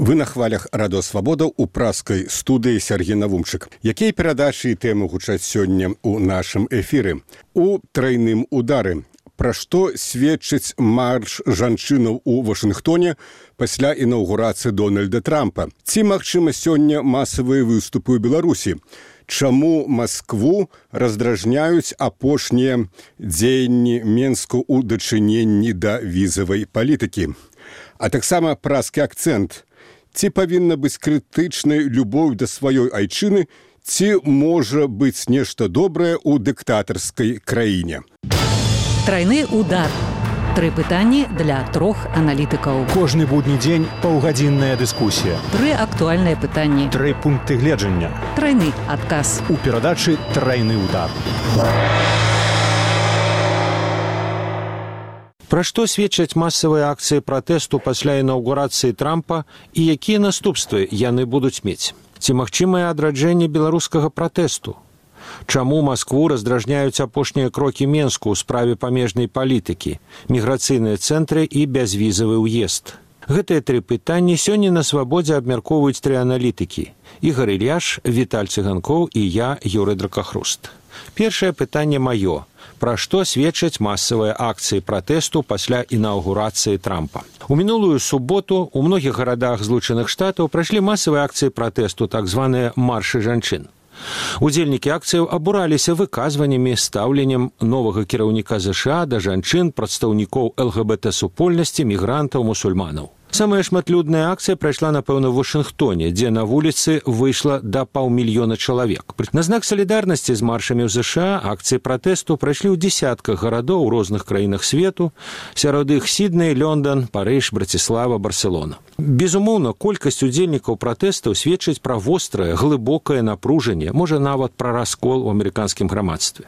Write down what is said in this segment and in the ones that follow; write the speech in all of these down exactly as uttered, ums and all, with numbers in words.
Вы на хвалях радыё Свабода ў праскай студыі Сергей Навумчык. Якія перадачы і тэмы гучаць сёння ў нашым эфіры? У трайным удары. Пра што сведчыць марш жанчынаў у Вашынгтоне пасля інаўгурацыі Дональда Трампа? Ці магчыма сёння масавыя выступы ў Беларусі? Чаму Маскву раздражняюць апошнія дзеянні Менску ў дачыненні да візавай палітыкі? А таксама праскі акцэнт. Ці павінна быць крытычнай любоў да сваёй айчыны, ці можа быць нешта добрае ў дыктатарскай краіне? Трайны удар. Тры пытанні для трох аналітыкаў. Кожны будні дзень паўгадзінная дыскусія. Тры актуальныя пытанні. Тры пункты гледжання. Трайны адказ. У перадачы «Трайны удар». Пра што сведчаць масавыя акцыі пратэсту пасля інаўгурацыі Трампа і якія наступствы яны будуць мець? Ці магчымае адраджэнне беларускага пратэсту? Чаму Маскву раздражняюць апошнія крокі Менску ў справе памежнай палітыкі, міграцыйныя цэнтры і бязвізавы ўезд? Гэтыя тры пытанні сёння на Свабодзе абмяркоўваюць тры аналітыкі. Ігор Ільяш, Віталь Цыганкоў і я, Юрый Дракахруст. Першае пытанне маё. Пра што сведчаць масавыя акцыі пратэсту пасля інаўгурацыі Трампа? У мінулую суботу ў многіх гарадах Злучаных Штатаў прайшлі масавыя акцыі пратэсту, так званыя маршы жанчын. Удзельнікі акцыяў абураліся выказваннямі, стаўленнем новага кіраўніка ЗША да жанчын, прадстаўнікоў ЛГБТ-супольнасці, мігрантаў, мусульманаў. Самая шматлюдная акцыя прайшла, напэўна, у Вашынгтоне, дзе на вуліцы выйшла да паўмільёна чалавек. На знак салідарнасці з маршамі ў ЗША акцыі пратэсту прайшлі ў дзесятках гарадоў у розных краінах свету, сярод іх Сідней, Лёндан, Парыж, Браціслава, Барселона. Безумоўна, колькасць удзельнікаў пратэстаў сведчыць пра вострае, глыбокае напружанне, можа нават пра раскол у амерыканскім грамадстве.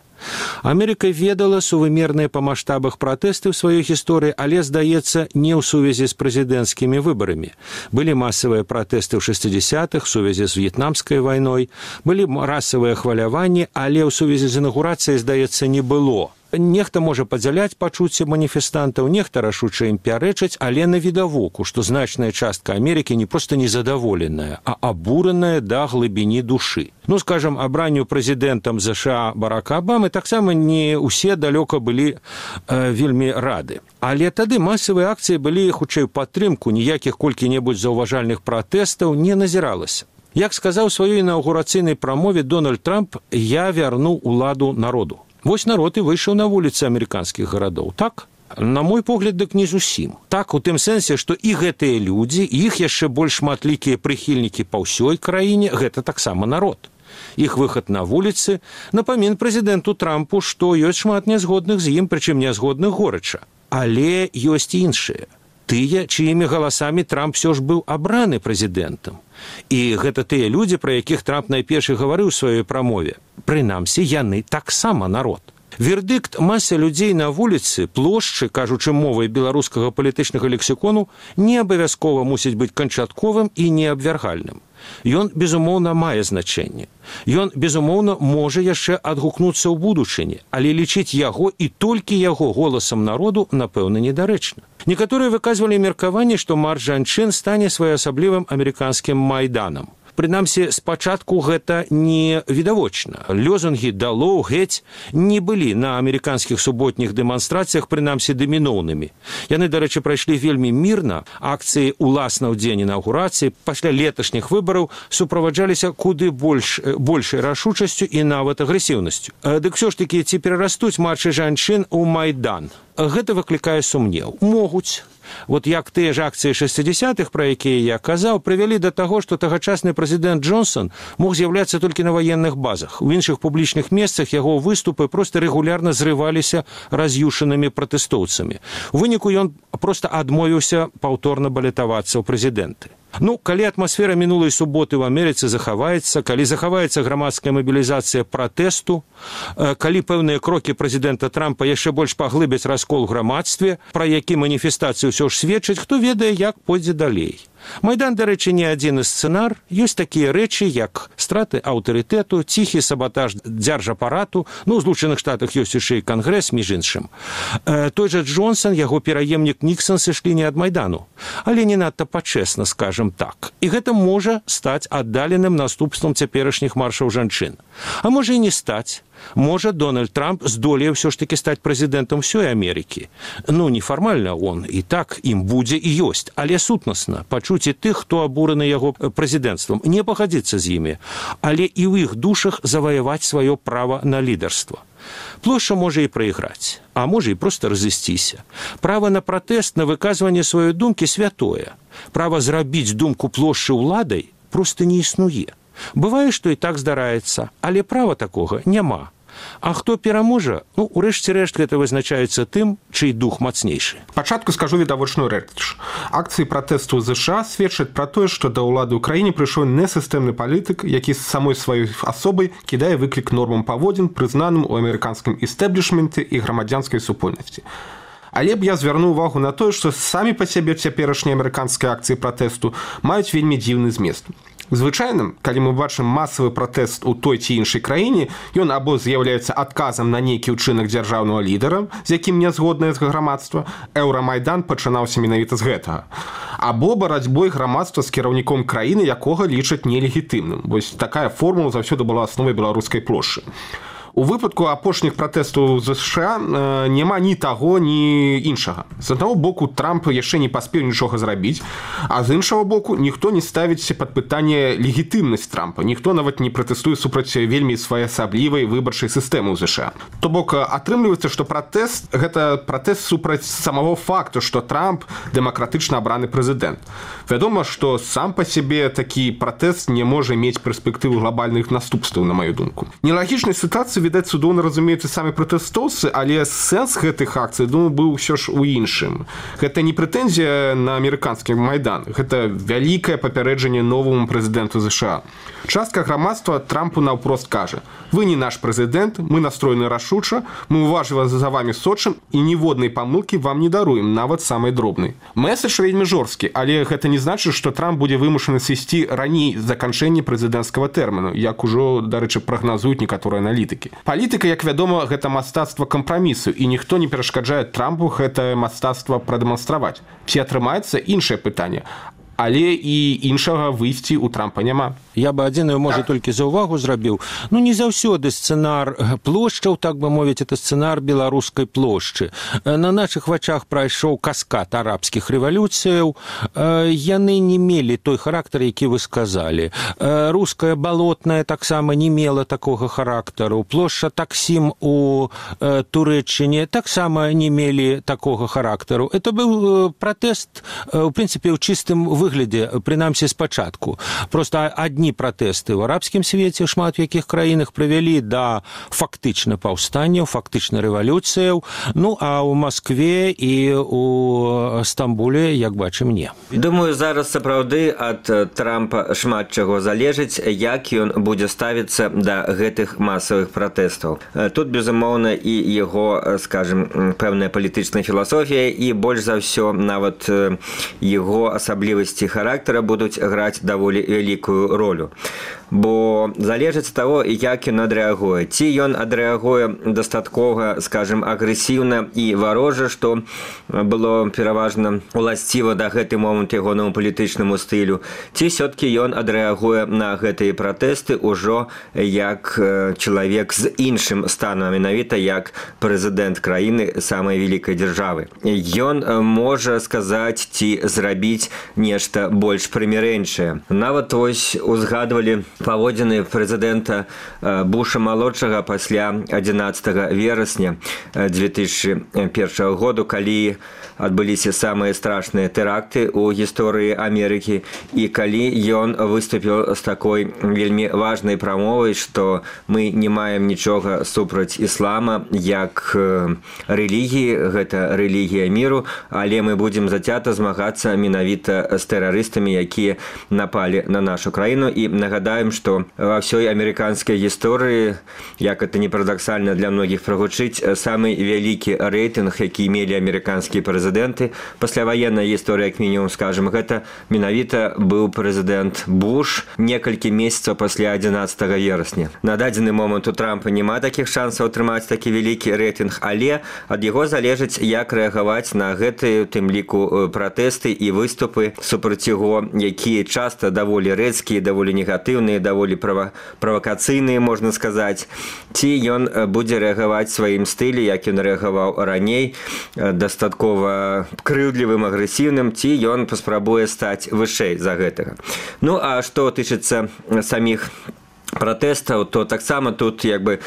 Амерыка ведала сувымерныя па маштабах пратэсты ў сваёй гісторыі, але, здаецца, не ў сувязі з прэзідэнцкімі выбарамі. Былі масавыя пратэсты ў шэсцідзясятых, сувязі з в'етнамскай вайной, былі расавыя хваляванні, але ў сувязі з інаўгурацыяй, здаецца, не было. Нехта можа падзяляць пачуцці маніфестантаў, нехта рашуча ім пярэчыць, але навідавоку, што значная частка Амерыкі не проста незадаволеная, а абураная да глыбіні душы. Ну, скажам, абранню прэзідэнтам ЗША Барака Абамы таксама не ўсе далёка былі э, вельмі рады. Але тады масавыя акцыі былі, хутчэй, падтрымку, ніякіх колькі-небудзь заўважальных пратэстаў не назіралася. Як сказаў у сваёй інаўгурацыйнай прамове Дональд Трамп, я вярну ўладу народу. Вось народ і выйшаў на вуліцы амерыканскіх гарадоў. Так? На мой погляд, дык не зусім. Так, у тым сэнсе, што і гэтыя людзі, і іх яшчэ больш шматлікія прыхільнікі па ўсёй краіне, гэта таксама народ. Іх выхад на вуліцы напамін прэзідэнту Трампу, што ёсць шмат нязгодных з ім, прычым нязгодных горача. Але ёсць іншыя. Тыя, чыімі галасамі Трамп все ж быў абраны прэзідэнтам. І гэта тыя людзі, пра якіх Трамп найперш гаварыў у сваёй прамове. Прынамсі, яны таксама народ. Вердыкт масы людзей на вуліцы, плошчы, кажучы мовай беларускага палітычнага лексікону, не абавязкова мусіць быць канчатковым і неабвяргальным. Ён, безумоўна, мае значэнне. Ён, безумоўна, можа яшчэ адгукнуцца ў будучыні, але лічыць яго і толькі яго голасам народу, напэўна, недарэчна. Некаторыя выказвалі меркаванне, што марш жанчын стане своеасаблівым амерыканскім майданам. Прынамсі, спачатку гэта не відавочна. Лёзунгі «Далоў», «Геть» не былі на амерыканскіх суботніх дэманстрацыях, прынамсі, даміноўнымі. Яны, дарэчы, прайшлі вельмі мірна. Акцыі уласна ў дзень інаўгурацыі пасля леташніх выбараў суправаджаліся куды больш, большай рашучасцю і нават агрэсіўнасцю. Дык ўсё ж такі, ці перарастуць маршы жанчын у майдан? Гэта выклікае сумнеў. Могуць. Вот як тыя ж акцыі шэсцідзясятых, пра якія я казаў, прывялі да таго, што тагачасны прэзідэнт Джонсон мог з'яўляцца толькі на ваенных базах. У іншых публічных месцах яго выступы проста рэгулярна зрываліся раз'юшанымі пратэстоўцамі. У выніку ён проста адмовіўся паўторна балятавацца ў прэзідэнты. Ну, калі атмасфера мінулай суботы ў Амерыцы захаваецца, калі захаваецца грамадская мабілізацыя пратэсту, калі пэўныя крокі прэзідэнта Трампа яшчэ больш паглыбяць раскол у грамадстве, пра які маніфестацыю ўсё ж сведчыць, хто ведае, як пойдзе далей. Майдан, дарэчы, не адзіны сцэнар. Ёсць такія рэчы, як страты аўтарытэту, ціхі сабатаж дзяржапарату. Ну, у Злучаных Штатах ёсць яшчэ і кангрэс, між іншым. Той жа Джонсон, яго пераемнік Ніксон сышлі не ад Майдану, але не надта пачэсна, скажам так. І гэта можа стаць аддаленым наступствам цяперашніх маршаў жанчын. А можа і не стаць. Можа, Дональд Трамп здолее ўсё ж таки стаць прэзідэнтам ўсёй Амерыкі. Ну, нефармальна он і так ім будзе і ёсць, але сутнасна пачуць і тых, хто абураны яго прэзідэнцтвам, не пагадзіцца з імі, але і ў іх душах заваяваць сваё права на лідарства. Плошча можа і прайграць, а можа і проста разысціся. Права на пратэст, на выказванне сваёй думкі святое. Права зрабіць думку плошчы ўладай проста не існуе. Бывае, што і так здараецца, але права такога няма. А хто пераможа, ну, урэшце рэшт гэта вызначаецца тым, чый дух мацнейшы. Пачатку скажу відавочную рэч. Акцыі пратэсту ў ЗША сведчаць пра тое, што да ўлады ў краіне прыйшоў несістэмны палітык, які з самой сваёй асобай кідае выклік нормам паводзін, прызнаным у амерыканскім істэблішменце і грамадзянскай супольнасці. Але б я звярнуў увагу на тое, што самі па сябе цяперашнія амерыканскія акцыі пратэсту маюць вельмі дзіўны змест. Звычайным, калі мы бачым масавы пратэст у той ці іншай краіне, ён або з'яўляецца адказам на нейкі ўчынак дзяржаўнага лідара, з якім не згоднае з грамадства, Еўрамайдан пачынаўся менавіта з гэтага, або барацьбой грамадства з кіраўніком краіны, якога лічаць нелегітымным. Вось такая формула заўсёды была асновай беларускай плошчы. У выпадку апошніх пратэстаў ЗША э, няма ні таго, ні іншага. З аднаго боку, Трамп яшчэ не паспеў нічога зрабіць, а з іншага боку, ніхто не ставіць пад пытанне легітымнасць Трампа. Ніхто нават не пратэстуе супраць вельмі своеасаблівай выбарчай сістэмы ў ЗША. То бок, атрымліваецца, што пратэст – гэта пратэст супраць самого факту, што Трамп дэмакратычна абраны прэзідэнт. Вядома, што сам па сябе такі пратэст не можа мець перспектыву глобальных наступстваў, на маю думку. Нелагічнай сітуацыі, відаць, цудоўна разумеюцца самі пратэстоўцы, але сэнс гэтых акцый, думаю, быў усё ж у іншым. Гэта не прэтэнзія на амерыканскі Майдан, гэта вялікае папярэджанне новаму прэзідэнту ЗША. Частка грамадства Трампу наўпрост кажа: вы не наш прэзідэнт, мы настроены рашуча, мы уважліва за вамі сочым і ніводнай памылкі вам не даруем, нават самай дробнай. Мэсэдж вельмі жорсткі, але гэта не значыць, што Трамп будзе вымушаны сысці раней заканчэння прэзідэнцкага тэрміну, як ужо, дарэчы, прагназуюць некаторыя аналітыкі. Палітыка, як вядома, гэта мастацтва кампрамісу, і ніхто не перашкаджае Трампу гэтае мастацтва прадэманстраваць. Ці атрымаецца, іншае пытанне. Але і іншага выйсці ў Трампа няма. Я бы адзіную, можа, толькі за ўвагу зрабіў. Ну, не заўсёды сцэнар плошчаў, так бы мовіць, это сцэнар беларускай плошчы. На нашых вачах прайшоў каскад арабскіх рэвалюцыяў. Яны не мелі той характар, які вы сказалі. Руская балотная таксама не мела такога характару. Плошча Таксім у Турэччыне таксама не мелі такога характару. Это быў пратэст, у прынцыпе, ў чыстым выглядзе, прынамсі спачатку. Проста адні пратэсты ў арабскім свеце, шмат в якіх краінах прывялі да фактычна паўстанняў, фактычна рэвалюцыяў, ну, а ў Маскве і ў Стамбуле, як бачым, не. Думаю, зараз сапраўды ад Трампа шмат чаго залежыць, як ён будзе ставіцца да гэтых масавых пратэстаў. Тут, безумоўна, і яго, скажем, пэўная палітычная філасофія, і больш за ўсё нават яго асаблівасці характара будуць граць даволі вялікую ролю. Бо залежыць ад таго, як ён адрэагуе. Ці ён адрэагуе дастаткова, скажем, агрэсіўна і варожа, што было пераважна уласціва да гэты момант ягонаму палітычнаму стылю, ці ўсё-ткі ён адрэагуе на гэтыя пратэсты ўжо як чалавек з іншым станам, менавіта як прэзідэнт краіны самай вялікай дзяржавы. Ён можа сказаць ці зрабіць нешта больш прымірэнчае. Нават вось узгадвалі паводзіны прэзідэнта Буша-малодшага пасля адзінаццатага верасня дзве тысячы першага году, калі адбыліся самыя страшныя тэракты ў гісторыі Амерыкі, і калі ён выступіў з такой вельмі важнай прамовай, што мы не маем нічога супраць іслама як рэлігіі, гэта рэлігія міру, але мы будзем зацята змагацца менавіта з тэрарыстамі, якія напалі на нашу краіну. І нагадаем, памятаем, что во всей американской истории, як это не парадоксально для многих прогучыць, самый вялікі рейтинг, які имели американские президенты, пасляваенная история, как минимум, скажем, это менавіта был президент Буш некалькі месяцев после одиннадцатого верасня. На дадзены момент у Трампа нема таких шансов атрымаць такі вялікі рейтинг, але ад яго залежыць, як рэагаваць на гэтыя, у тым ліку, пратэсты і выступы супраць яго, якія часто даволі рэдкія, даволі негатыўныя, даволі права, правакацыйныя, можна сказаць. Ці ён будзе рэагаваць сваім стылі, як ён рэагаваў раней, дастаткова крыўдлівым, агрэсіўным, ці ён паспрабуе стаць вышэй за гэтага. Ну, а што тычыцца саміх пратэстаў, то таксама тут як бы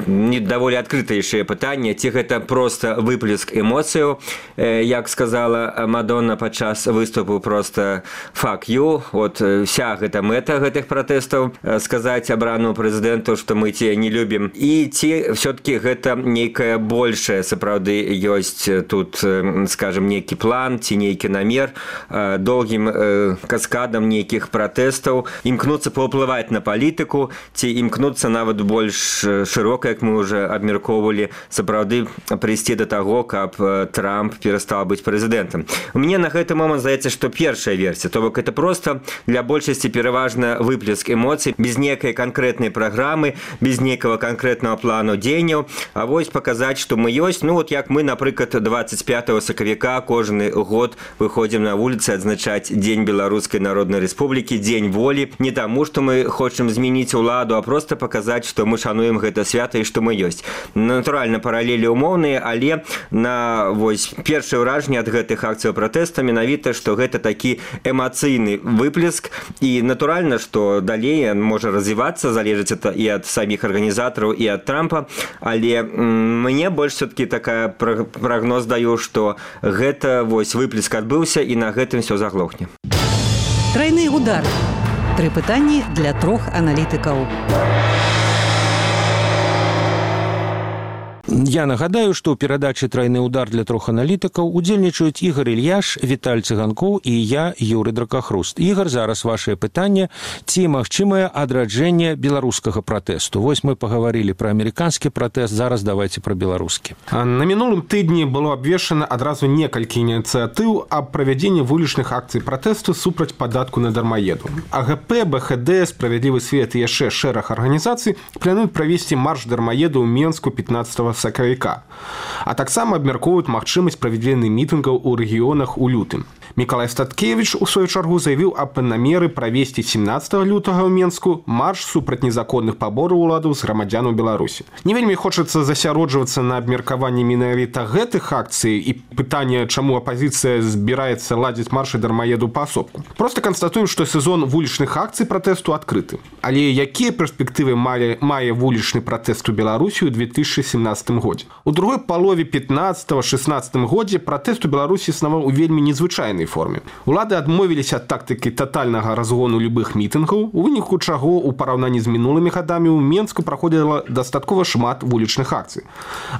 не даволі адкрытаейшае пытанне, ці гэта проста выплеск эмоцыяў, як сказала Мадонна падчас выступу, проста fuck you, вот вся гэта мэта гэтых пратэстаў, сказаць абранаму прэзідэнту, што мы цябе не любім, і ці все-таки гэта нейкае большае сапраўды ёсць тут, скажем, нейкі план ці нейкі намер доўгім каскадам нейкіх пратэстаў імкнуцца паўплываць на палітыку, ці імкнуцца нават больш шырока, як мы уже абмяркоўвалі, сапраўды прыйсці да таго, каб Трамп перастаў быць прэзідэнтам. Мне на гэты момант здаецца, што першая версія, то бок это просто для большасці пераважна выплеск эмоцый, без нейкай канкрэтнай праграмы, без нейкага канкрэтнага плану дзеянняў, а вось паказаць, што мы ёсць, ну вот як мы, напрыклад, двадцать пятого сакавіка кожны год выходзім на вуліцы адзначаць Дзень Беларускай Народнай Рэспублікі, Дзень волі, не таму, што мы хочам змяніць уладу, а просто паказаць, што мы шануем гэта свята і што мы ёсць. Натуральна, паралелі ўмоўныя, але на вось першае ўражанне ад гэтых акцыяў пратэста менавіта, што гэта такі эмацыйны выплеск, і натуральна, што далей можа развівацца, залежыць это і ад саміх арганізатараў, і ад Трампа, але мне больш все-таки такая прагноз даю, што гэта вось выплеск адбыўся, і на гэтым все заглохне. Тройны удар. Тры пытанні для трох аналітыкаў. Я нагадаю, што ў перадачы «Тройны удар» для трох аналітыкаў удзельнічаюць Ігор Ільяш, Віталь Цыганкоў і я, Юрый Дракахруст. Ігор, зараз вашае пытанне, ці магчымае адраджэнне беларускага пратэсту? Вось мы пагаварылі пра амерыканскі пратэст, зараз давайце пра беларускі. На мінулым тыдні было абвешчана адразу некалькі ініцыятыў аб правядзенні вулічных акцый пратэсту супраць падатку на дармаеду. АГП, БХД, Справядлівы свет і яшчэ шэраг арганізацый плануюць правесці марш дармаеду ў Менску пятнадцатого сакавіка. А таксама абмяркоўваюць магчымасць правядзення мітынгаў у рэгіёнах у лютым. Мікалай Статкевіч у сваю чаргу заявіў аб намеры правесці семнадцатого лютага ў Менску марш супраць незаконных пабораў уладаў з грамадзянаў Беларусі. Не вельмі хочацца засяроджвацца на абмеркаванні менавіта гэтых акцый і пытанне, чаму апазіцыя збіраецца ладзіць маршы дармаеду паасобку. Проста канстатуем, што сезон вулічных акцый пратэсту адкрыты. Але якія перспектывы мае, мае вулічны пратэст у Беларусі ў две тысячы семнадцатым годзе? У другой палове пятнадцатого-шестнадцатым годзе пратэст у Беларусі існаваў у вельмі незвычайнай форме. Улады адмовіліся ад тактыкі татальнага разгону любых мітынгаў, у выніку чаго ў параўнанні з мінулымі гадамі ў Менску праходзіла дастаткова шмат вулічных акцый.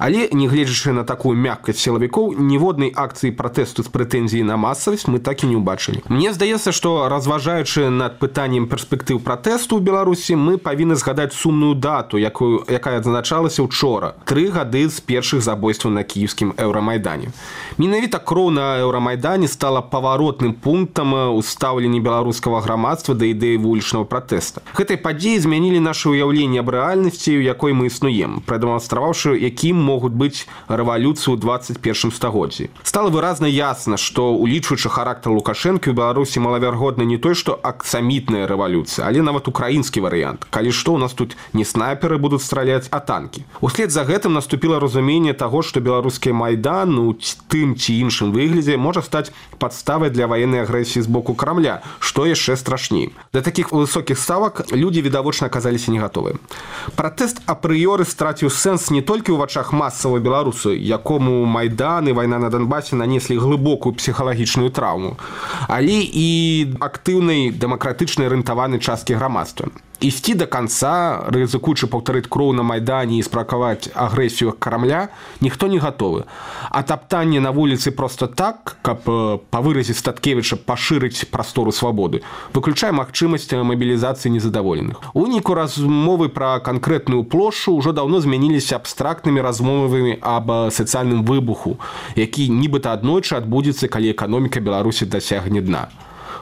Але, нягледзячы на такую мяккасць сілавікоў, ніводнай акцыі пратэсту з прэтэнзіяй на масавасць мы так і не ўбачылі. Мне здаецца, што разважаючы над пытаннем перспектыў пратэсту ў Беларусі, мы павінны згадаць сумную дату, якую, якая адзначалася учора. Тры гады з першых забойстваў на кіеўскім Еўрамайдане. Менавіта кроў на Еўрамайдане стала паваротным пунктам у стаўленні беларускага грамадства да ідэі вулічнага пратэста. Гэтай падзеі змянілі наше ўяўленне аб рэальнасці, у якой мы існуем, прадэманстраваўшы, якім могуць быць рэвалюцыі ў двадцать першым стагоддзі. Стала выразна ясна, што, улічваючы характар Лукашэнкі, у Беларусі малаверагодна не той, што аксамітная рэвалюцыя, але нават украінскі варыянт. Калі што, у нас тут не снайперы будуць страляць, а танкі. Услед за гэтым наступіла разуменне таго, што беларускі майдан у тым ці іншым выглядзе можа стаць падставай для ваеннай агрэсіі з боку Крамля, што яшчэ страшней. Да такіх высокіх ставак людзі відавочна аказаліся не гатовыя. Пратэст апрыёры страціў сэнс не толькі ў вачах масавай беларусу, якому майдан і вайна на Донбасе нанеслі глыбокую псіхалагічную траўму, але і актыўнай дэмакратычнай арыентаванай часткі грамадства. Ісці до конца, рызыкуючы паўтарыць кроў на Майдане і спракаваць агрэсію Крамля, ніхто не гатовы. А таптанне на вуліцы просто так, каб, па выразе Статкевіча, пашырыць прастору свабоды, выключае магчымасць мабілізацыі незадаволеных. У выніку размовы пра канкрэтную плошчу ўжо даўно змяніліся абстрактнымі размовамі аб сацыяльным выбуху, які нібыта аднойчы адбудзецца, калі эканоміка Беларусі дасягне дна.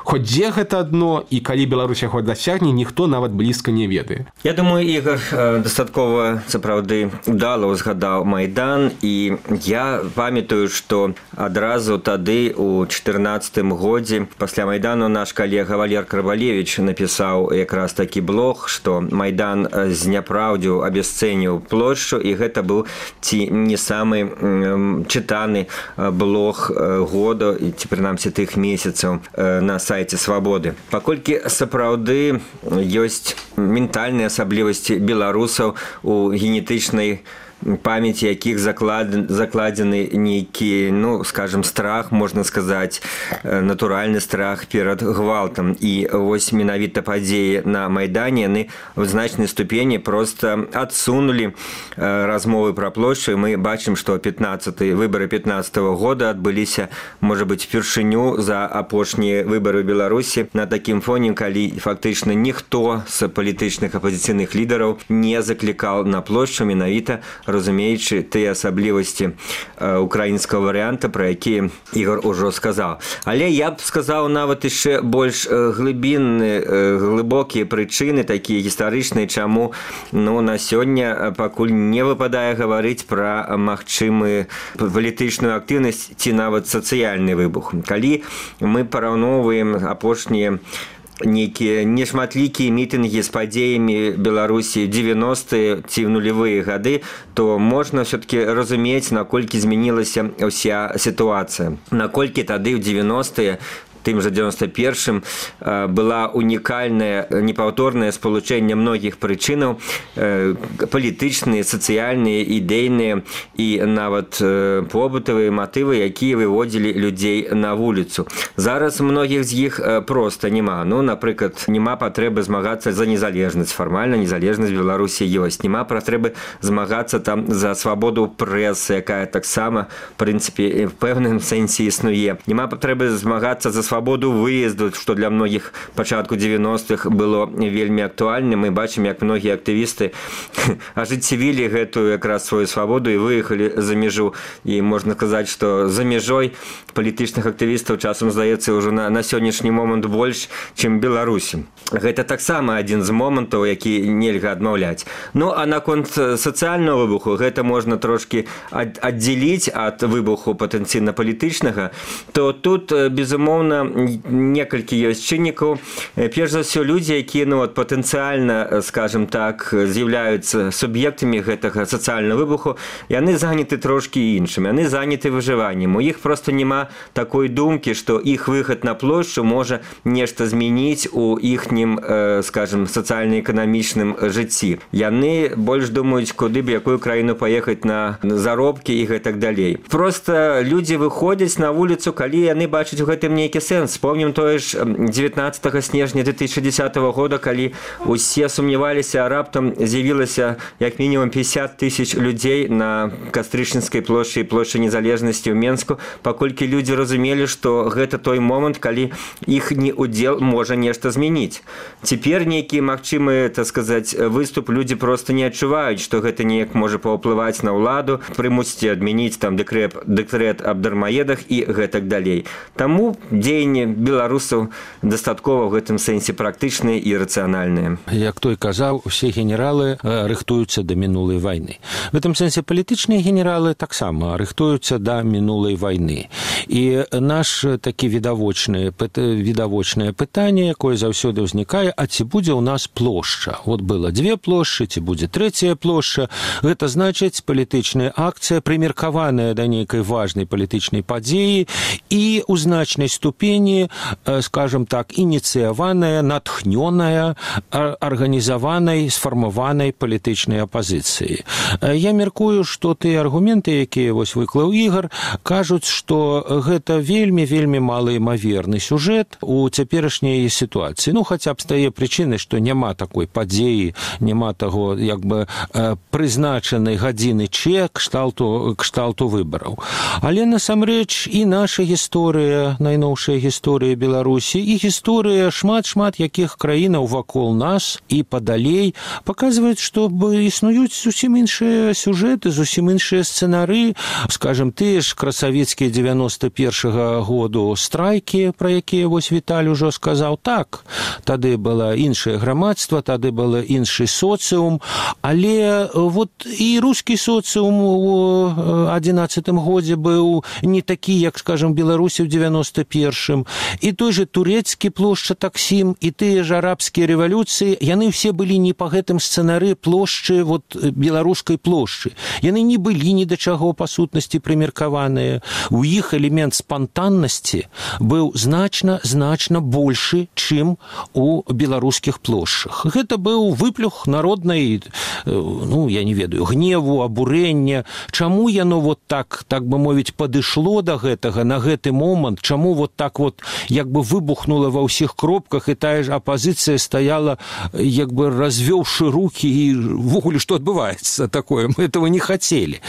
Хоць дзе гэта дно і калі Беларусь яго дасягне, ніхто нават блізка не ведае. Я думаю, Ігор дастаткова сапраўды удала ўзгадаў Майдан, і я памятаю, што адразу тады у чатырнаццатым годзе пасля Майдану наш калега Валер Карбалевіч напісаў якраз такі блог, што Майдан зняпраўдзіў, абясцэніў плошчу, і гэта быў ці не самы чытаны блог года, ці прынамсі тых месяцаў на сайце «Свабоды». Паколькі сапраўды ёсць ментальныя асаблівасці беларусаў у генетычнай памяці якіх закладзены нейкі, ну, скажем, страх, можна сказаць, натуральны страх перад гвалтам. І вось менавіта падзеі на Майдане яны в значнай ступені проста адсунулі размовы пра плошчу. Мы бачым, што пятнаццаты выбары пятнаццатага года адбыліся, можа быць, впершыню за апошнія выбары ў Беларусі на такім фоне, калі фактычна ніхто з палітычных апазіцыйных лідараў не заклікаў на плошчу, менавіта разумеючы тыя асаблівасці украінскага варыянта, пра які Ігор ужо сказаў. Але я б сказаў нават яшчэ больш глыбінны, глыбокія прычыны, такія гістарычныя, чаму, ну, на сёння пакуль не выпадае гаварыць пра магчымую палітычную актыўнасць ці нават сацыяльны выбух. Калі мы параўноўваем апошнія нейкія нешматлікія мітынгі з падзеямі Беларусі дзевяностыя ці в нулевыя гады, то можна все-таки разумець, наколькі змянілася ўся сітуацыя. Наколькі тады ў дзевяностыя тым жа дзевяносто першым была унікальная, непаўторнае спалучэнне многіх прычынаў, палітычныя, сацыяльныя, ідэйныя і нават побытавыя матывы, якія выводзілі людзей на вуліцу. Зараз многіх з іх проста няма. Ну, напрыклад, няма патрэбы змагацца за незалежнасць. Фармальна незалежнасць Беларусі ёсць. Няма патрэбы змагацца там за свабоду прэсы, якая таксама, в прынцыпе, в пэўным сэнсе існуе. Няма патрэбы змагацца за свабоду выезду, што для многіх пачатку дзевяностых было вельмі актуальна. Мы бачым, як многія актывісты ажыццявілі гэтую якраз сваю свабоду і выехалі за мяжу. І можна сказаць, што за мяжой палітычных актывістаў часам здаецца ўжо на, на сённяшні момант больш, чым Беларусі. Гэта таксама адзін з момантаў, які нельга адмаўляць. Ну, а наконт сацыяльнага выбуху, гэта можна трошкі аддзяліць ад выбуху патэнцыйна палітычнага, то тут, безумоўна, некалькі ёсць чыннікаў. Перш за ўсё, людзі, якія, ну, от, патэнцыяльна, скажем так, з'яўляюцца суб'ектамі гэтага сацыяльнага выбуху, яны заняты трошкі іншым, яны заняты выжываннем. У іх проста няма такой думкі, што іх выхад на плошчу можа нешта змяніць у іхнім, э, скажем, сацыяльна-эканамічным жыцці. Яны больш думаюць, куды б якую краіну паехаць на заробкі і гэтак далей. Проста людзі выходзяць на вуліцу, калі яны бачаць у гэтым нейкі сэнс. Вспомнім тое ж дзевятнаццатага снежня две тысячи десятого года, калі усе сумняваліся, а раптам з'явілася як мінімум пятьдесят тысяч людзей на Кастрычніцкай плошчы і плошчы незалежнасці ў Менску, паколькі людзі разумелі, што гэта той момант, калі іхні удзел можа нешта змяніць. Цяпер нейкі магчымы, так сказаць, выступ людзі проста не адчуваюць, што гэта неяк можа паўплываць на ўладу, прымусіць адмяніць там дэкрэт, дэкрэт аб дармаедах і гэтак далей. Таму дзеянні беларусаў дастаткова ў гэтым сэнсе практычныя і рацыянальныя. Як той казаў, усе генералы рыхтуюцца да мінулай вайны. В гэтым сэнсе палітычныя генералы таксама рыхтуюцца да мінулай вайны. І наш такі відавочнае, відавочнае пытанне, якое заўсёды ўзнікае, а ці будзе ў нас плошча? Вот было дзве плошчы, ці будзе трэцяя плошча. Гэта значыць палітычная акцыя, прымеркаваная да нейкай важнай палітычнай падзеі і ў значнай ступені ступені, скажем так, ініцыяваная, натхнёная, арганізаванай, сфармаванай палітычнай апазіцыі. Я мяркую, што тыя аргументы, якія вось выклаў Ігор, кажуць, што гэта вельмі, вельмі малаімаверны сюжэт у цяперашняй сітуацыі. Ну, хаця б з тае прычыны, што няма такой падзеі, няма таго, як бы, прызначанай гадзіны Ч кшталту, кшталту выбараў. Але насамрэч і наша гісторыя, найноўшая гісторыя Беларусі, і гісторыя шмат-шмат якіх краінаў вакол нас і падалей паказваюць, што існуюць зусім іншыя сюжэты, зусім іншыя сцэнары, скажем, тыя ж красавецкія дзевяноста першага году страйкі, пра якія вось Віталь ужо сказаў. Так, тады было іншае грамадства, тады было іншы соцыум, але вот і рускі соцыум у адзінаццатым годзе быў не такі, як, скажем, Беларусі ў дзевяноста першым, і той же турэцкі плошча таксім, і тыя ж арабскія рэвалюцыі, яны ўсе былі не па гэтым сцэнары плошчы, вот беларускай плошчы. Яны не былі ні да чаго па сутнасці прымеркаваныя. У іх элемент спантаннасці быў значна, значна большы, чым у беларускіх плошчах. Гэта быў выплюх народнай, ну, я не ведаю, гневу, абурэння. Чаму яно вот так, так бы мовіць, падышло да гэтага на гэты момант, чаму вот так вот як бы выбухнула ва ўсіх кропках, і тая ж апазіцыя стаяла, як бы развёўшы рукі, і ввогуле што адбываецца такое, мы этого не хацелі.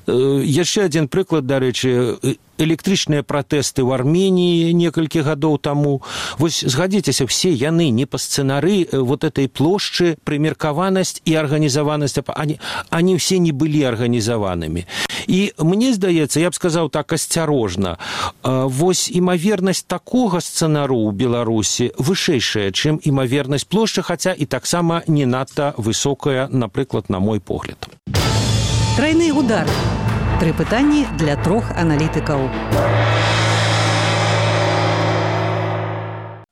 Яшчэ адзін прыклад, дарэчы, электрычныя пратэсты ў Арменіі некалькі гадоў таму. Вось згадзіцеся, все яны не па сцэнары вот этой плошчы, прымеркаванасць і арганізаванасць, они, они все не былі арганізаванымі. І мне здаецца, я б сказаў так асцярожна, вось імавернасць такога сцэнару ў Беларусі вышэйшая, чым імавернасць плошчы, хаця і таксама не надта высокая, напрыклад, на мой погляд. Трайны удар. Тры пытанні для трох аналітыкаў.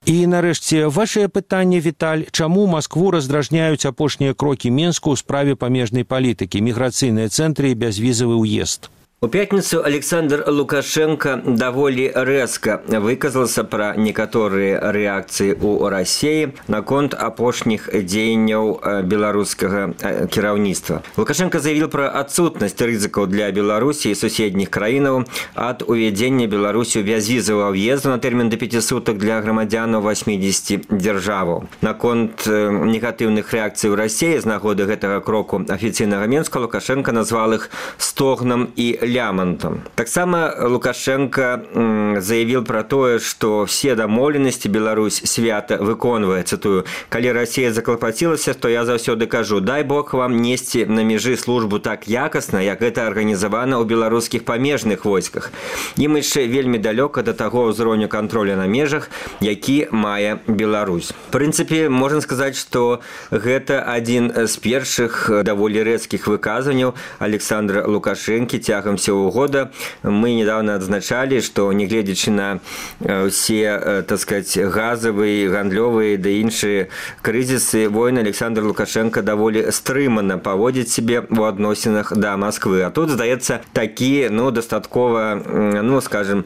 І, нарэшце, вашае пытанне, Віталь, чаму Маскву раздражняюць апошнія крокі Менску ў справе памежнай палітыкі, міграцыйныя цэнтры і бязвізавы ўезд? У пятницу Александр Лукашенко довольно резко выказался про некоторые реакции у России наконт апошних дзеянняў белорусского кіраўніцтва. Лукашенко заявил про отсутность рызыкаў для Беларуси и соседних краінаў от увядзення Беларусью бязвізавага въезду на термин до пяти суток для грамадзянаў восьмидесяти дзяржаваў. Наконт негативных реакций у России з нагоды гэтага кроку афіцыйнага Менска Лукашенко назвал их стогнам и лямантам. Таксама Лукашенко заявил про тое, что все дамоўленасці Беларусь свята выконвае, цытую: «Калі Россия заклапацілася, то я заўсёды кажу, дай Бог вам несці на межы службу так якасна, як гэта арганізавана ў беларускіх памежных войсках. Ім яшчэ вельмі далёка да таго ўзроўню контроля на межах, які мае Беларусь». В прынцыпе, можна сказаць, што гэта адзін з першых даволі рэзкіх выказванняў Александра Лукашенкі цягам всего года. Мы недавно отзначали, что, негледзячы на все, так сказать, газовые, гандлёвые да іншыя крызісы, войны, Александр Лукашенко даволі стрымана паводзіць себе у адносінах да Москвы. А тут, здаецца, такі, ну, дастаткова, ну, скажем,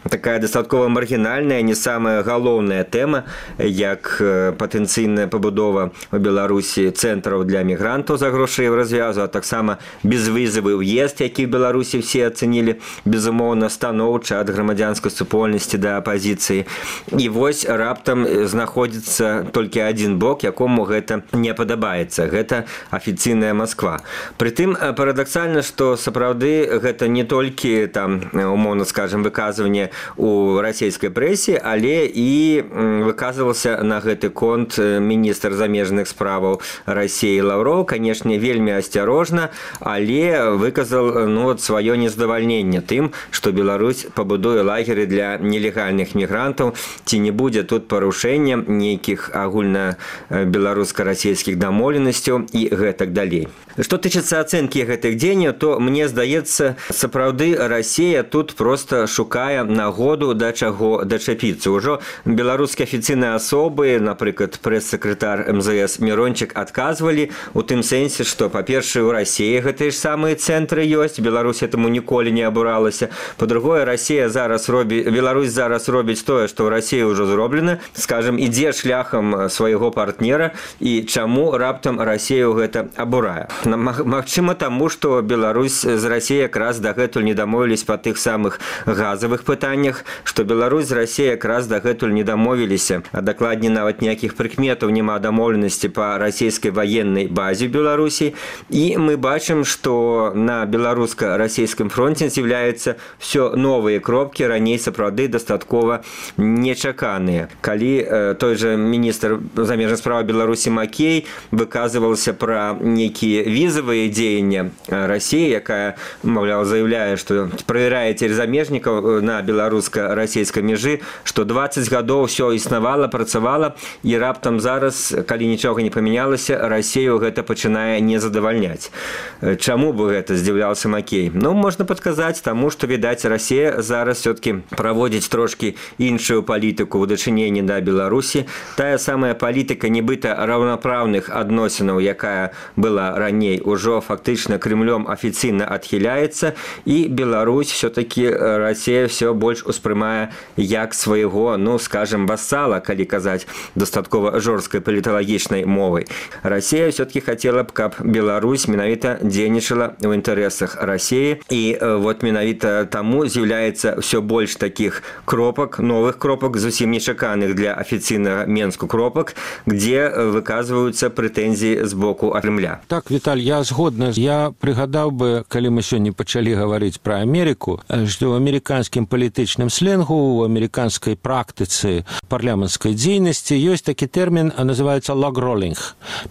такая дастаткова маргінальная, не самая галоўная тэма, як патэнцыйная пабудова у Беларусі цэнтраў для мігрантаў за грошы развязу, а таксама безвізавы ўезд, які в Беларусі все оценили, безумоўна, станоўча ад грамадзянскай супольнасці да апазіцыі. І вось раптам знаходзіцца толькі адзін бок, якому гэта не падабаецца. Гэта афіцыйная Москва. Прытым парадаксальна, што сапраўды гэта не толькі там, умоўна скажем, выказванне у расійскай прэсе, але і выказваўся на гэты конт міністр замежных справаў Расіі Лаўроў, канешне, вельмі асцярожна, але выказал, ну, вот, свое нездавальненне тым, што Беларусь пабудуе лагеры для нелегальных мігрантаў, ці не будзе тут парушэння нейкіх агульна беларуска-расійскіх дамоўленасцяў і гэтак далей. Што тычыцца ацэнкі гэтых дзеянняў, то мне здаецца, сапраўды Расія тут просто шукае нагоду да чаго дачапіцца. Ужо беларускія афіцыйныя асобы, напрыклад, прэс-сакратар эм зэ эс Мирончык, адказвалі у тым сэнсе, што, па-першае, у Расіі гэтыя ж самыя цэнтры ёсць, Беларусь это гэтаму ніколі не абуралася. Па-другое, Расія зараз робіць, Беларусь зараз робіць тое, што ў Расіі ўжо зроблена, скажем, ідзе шляхам свайго партнера, і чаму раптам Расію гэта абурае. Магчыма, таму, што Беларусь з Расіяй якраз дагэтуль не дамовілись па тых самых газавых пытаннях, што Беларусь з Расіяй якраз дагэтуль не дамовіліся, а дакладней нават ніякіх прыкметаў няма дамоўленасці па расійскай ваеннай базе ў Беларусі. І мы бачым, што на беларуска-расійскім фронте з'яўляюцца все новыя кропкі, раней сапраўды дастаткова нечаканыя. Калі э, той жа міністр замежных справ Беларусі Макей выказывался пра нейкія візавыя дзеянні Расіі, якая, маўляў, заявляе, што правярае цераз замежнікаў на беларуска-расійскай мяжы, што дваццаць гадоў все існавала, працавала, і раптам зараз, калі нічога не памянялася, Расію гэта пачынае не задавальняць. Чаму бы гэта, здзіўляўся Макей? Ну, можна падказаць таму, што, відаць, Расія зараз все-таки праводзіць трошки іншую палітыку ў дачыненні да Беларусі. Тая самая палітыка нібыта раўнапраўных адносінаў, якая была раней, ужо фактычна Кремлём афіцыйна адхіляецца, і Беларусь все-таки Расія все больш успрымае як свайго, ну, скажем, вассала, калі казаць дастаткова жорсткай паліталагічнай мовай. Расія все-таки хотела б, каб Беларусь менавіта дзейнічала ў інтарэсах Расіі, і вот менавіта таму з'яўляецца все больш такіх кропак, новых кропак, зусім нечаканых для афіцыйнага Менску кропак, где выказваюцца прэтэнзіі з боку Кремля. Так, Віталь, я згодна. Я прыгадаў бы, калі мы сёння пачалі гаварыць пра Амерыку, што ў амерыканскім палітычным сленгу, у амерыканскай практыцы парламенцкай дзейнасці ёсць такі тэрмін, называецца log-rolling,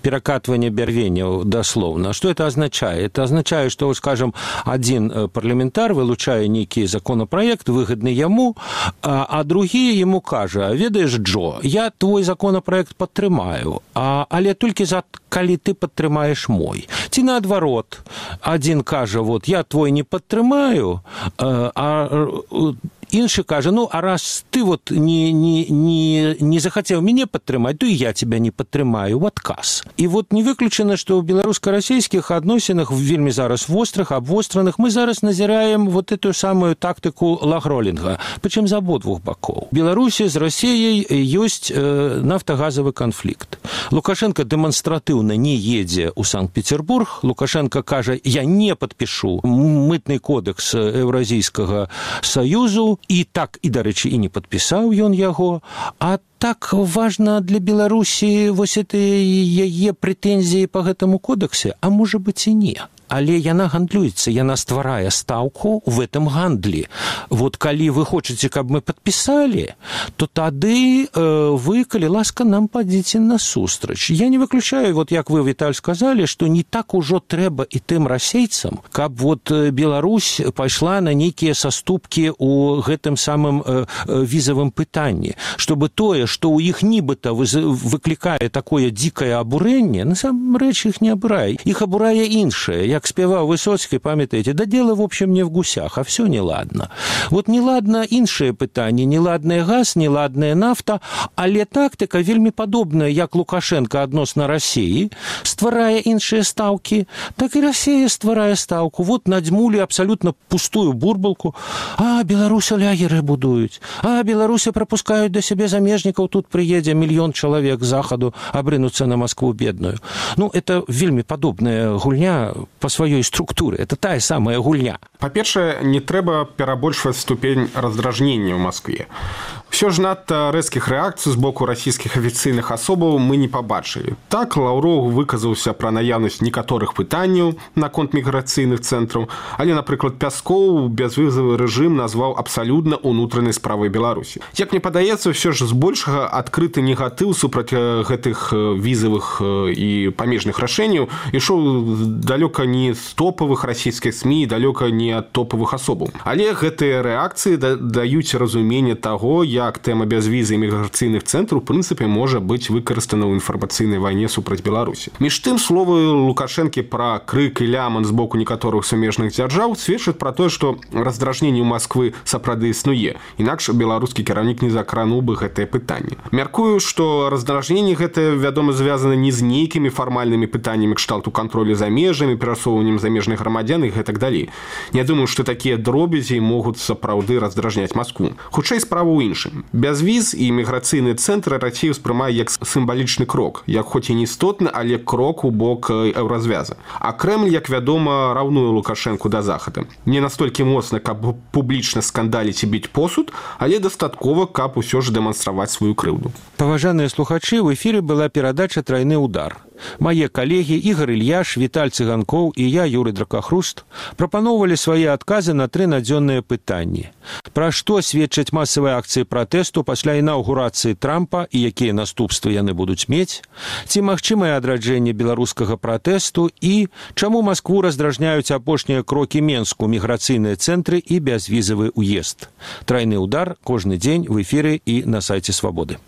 перакатванне бярвенняў даслоўна. Што это означае? Это означае, што, скажем, адзін парламентар вылучае нейкі законапраект, выгадны яму, а, а другі яму кажа: ведаеш, Джо, я твой законапраект падтрымаю, а, але толькі за калі ты падтрымаеш мой. Ці наадварот, адзін кажа: вот я твой не падтрымаю, а, а іншы кажа: ну, а раз ты вот не, не, не, не захацеў мяне падтрымаць, то і я тебя не падтрымаю ў адказ. І вот не выключана, што ў беларуска-расійскіх адносінах вельмі зараз вострых, абвостраных, мы зараз назіраем вот эту самую тактыку лагролінга, прычым з абодвух бакоў. Беларусі з Расіяй ёсць э, нафтагазавы канфлікт. Лукашенко дэманстратыўна не едзе ў Санкт-Петербург. Лукашенко кажа: я не падпішу мытны кодекс Еўразійскага саюзу, і так, і, дарэчы, і не падпісаў ён яго. А так важна для Беларусі вось это яе прэтэнзіі па гэтаму кодексе, а можа быць і не. Але яна гандлюецца, яна стварае стаўку в этом гандлі. Вот калі вы хочаце, каб мы падпісалі, то тады э, вы, калі ласка, нам падзіце насустрач. Я не выключаю, вот як вы, Віталь, сказалі, што не так ужо трэба і тым расейцам, каб вот Беларусь пайшла на нейкія саступкі ў гэтым самым э, візавым пытанні, чтобы тое, што ў іх нібыта выклікае такое дзікае абурэнне, насамрэч іх не абурае. Іх абурае іншае. Як спеваў Высоцкі, памятаеце, да дело, в общем, не в гусях, а все неладно. Вот неладно іншае пытанне, неладная газ, неладная нафта, але тактыка вельмі падобная, як Лукашенко адносна Расіі стварае іншыя стаўкі, так і Расія стварае стаўку. Вот надзьмулі абсалютна пустую бурбалку. А, Беларуся лягеры будуюць. А, Беларуся прапускаюць да сябе замежнікаў, тут прыедзе мільён чалавек з захаду абрынуцца на Маскву бедную. Ну, это вельмі падобная гульня по сваёй структуры. Это тая самая гульня. Па-першае, не трэба перабольшваць ступень раздражнення ў Маскве. Все ж надта рэзкіх рэакцый з боку расійскіх афіцыйных асобаў мы не пабачылі. Так, Лаўроў выказаўся пра наяўнасць некаторых пытанняў наконт міграцыйных цэнтраў, але, напрыклад, Пяскоў бязвізавы рэжым назваў абсалютна ўнутранай справай Беларусі. Як мне падаецца, все ж збольшага адкрыты негатыў супраць гэтых візавых і памежных рашэнняў ішоў далёка не з топавых расійскіх СМІ, далёка не ад топавых асобаў. Але гэтыя рэакцыі даюць разуменне таго, як тэма бязвізы і міграцыйных цэнтраў у прынцыпе можа быць выкарыстана ў інфармацыйнай вайне супраць Беларусі. Між тым, словы Лукашэнкі пра крык і ляман з боку некаторых сумежных дзяржаў сведчаць пра тое, што раздражненне ў Масквы сапраўды існуе. Інакш беларускі кіраўнік не закрануў бы гэтае пытанне. Мяркую, што раздражненне гэтае, вядома, звязана не з нейкімі фармальнымі пытаннямі кшталту кантролю за межамі, перасоўваннем замежных грамадзян і гэтак далей. Не думаю, што такія дробязі могуць сапраўды раздражняць Маскву. Хутчэй справа ў іншым. Бязвіз і міграцыйны цэнтр Расія ўспрымае як сімвалічны крок, як хоць і не істотны, але крок у бок еўразвяза. А Крэмль, як вядома, раўнуе Лукашэнку да захада. Не настолькі моцна, каб публічна скандаліць і біць посуд, але дастаткова, каб усё ж дэманстраваць сваю крыўду. Паважаныя слухачы, ў эфіры была перадача «Трайны удар». Мае калегі Ігор Ільяш, Віталь Цыганкоў і я, Юрый Дракахруст, прапаноўвалі свае адказы на тры надзённыя пытанні. Пра што сведчаць масавыя акцыі пратэсту пасля інаўгурацыі Трампа і якія наступствы яны будуць мець? Ці магчымае адраджэнне беларускага пратэсту і чаму Маскву раздражняюць апошнія крокі Менску, міграцыйныя цэнтры і бязвізавы ўезд? Трайны удар кожны дзень в эфіры і на сайце Свабоды.